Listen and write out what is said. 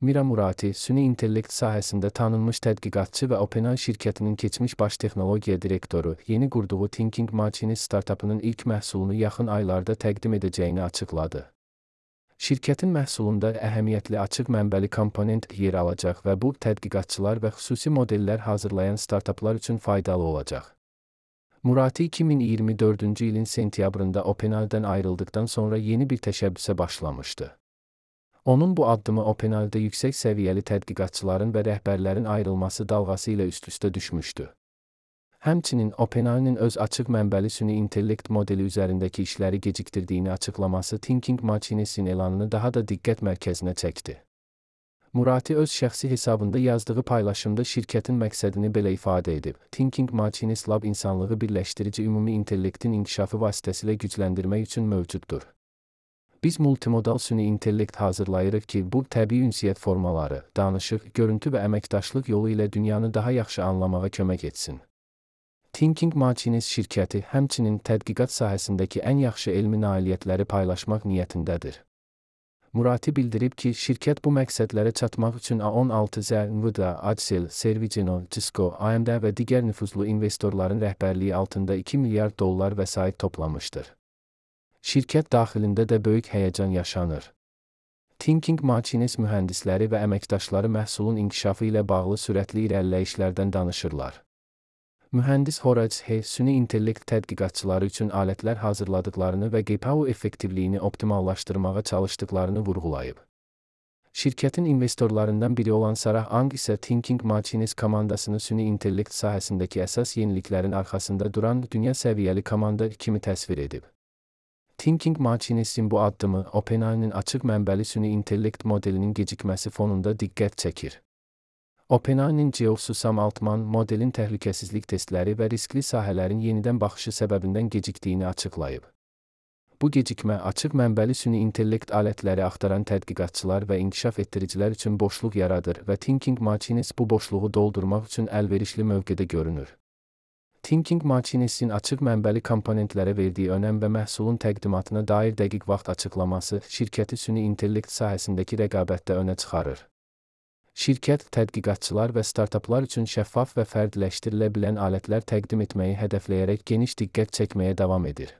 Mira Murati, süni intellekt sahəsində tanınmış tədqiqatçı və OpenAI şirkətinin keçmiş baş texnologiya direktoru, yeni qurduğu Thinking Machines startapının ilk məhsulunu yaxın aylarda təqdim edəcəyini açıqladı. Şirkətin məhsulunda əhəmiyyətli açıq mənbəli komponent yer alacaq və bu tədqiqatçılar və xüsusi modellər hazırlayan startaplar üçün faydalı olacaq. Murati 2024-cü ilin sentyabrında OpenAI-dən ayrıldıqdan sonra yeni bir təşəbbüsə başlamışdı. Onun bu addımı OpenAI-da yüksək səviyyəli tədqiqatçıların və rəhbərlərin ayrılması dalğası ilə üst-üstə düşmüşdü. Həmçinin OpenAI-nin öz açıq mənbəli süni intellekt modeli üzərindəki işləri gecikdirdiyini açıqlaması Thinking Machines'in elanını daha da diqqət mərkəzinə çəkdi. Murati öz şəxsi hesabında yazdığı paylaşımda şirkətin məqsədini belə ifadə edib: Thinking Machines Lab insanlığı birləşdirici ümumi intellektin inkişafı vasitəsilə gücləndirmək üçün mövcuddur. Biz multimodal süni intellekt hazırlayırıq ki, bu təbii ünsiyyət formaları, danışıq, görüntü və əməkdaşlıq yolu ilə dünyanı daha yaxşı anlamağa kömək etsin. Thinking Machines şirkəti həmçinin tədqiqat sahəsindəki ən yaxşı elmi nailiyyətləri paylaşmaq niyyətindədir. Murati bildirib ki, şirkət bu məqsədlərə çatmaq üçün A16Z, Nvidia, Accel, Servigino, Cisco, AMD və digər nüfuzlu investorların rəhbərliyi altında $2 milyard vəsait toplamışdır. Şirkət daxilində də böyük həyəcan yaşanır. Thinking Machines mühəndisləri və əməkdaşları məhsulun inkişafı ilə bağlı sürətli irəliləyişlərdən danışırlar. Mühəndis Horace He, süni intellekt tədqiqatçıları üçün alətlər hazırladıqlarını və GPU effektivliyini optimallaşdırmağa çalışdıqlarını vurğulayıb. Şirkətin investorlarından biri olan Sarah Ang isə Thinking Machines komandasını süni intellekt sahəsindəki əsas yeniliklərin arxasında duran dünya səviyyəli komanda kimi təsvir edib. Thinking Machines'in bu addımı OpenAI-nin açıq mənbəli süni intellekt modelinin gecikməsi fonunda diqqət çəkir. OpenAI-nin Geoffrey Sam Altman modelin təhlükəsizlik testləri və riskli sahələrin yenidən baxışı səbəbindən gecikdiyini açıqlayıb. Bu gecikmə açıq mənbəli süni intellekt alətləri axtaran tədqiqatçılar və inkişaf etdiricilər üçün boşluq yaradır və Thinking Machines bu boşluğu doldurmaq üçün əlverişli mövqedə görünür. Thinking Machines'in açıq mənbəli komponentlərə verdiyi önəm və məhsulun təqdimatına dair dəqiq vaxt açıqlaması şirkəti süni intellekt sahəsindəki rəqabətdə önə çıxarır. Şirkət, tədqiqatçılar və startaplar üçün şəffaf və fərdləşdirilə bilən alətlər təqdim etməyi hədəfləyərək geniş diqqət çəkməyə davam edir.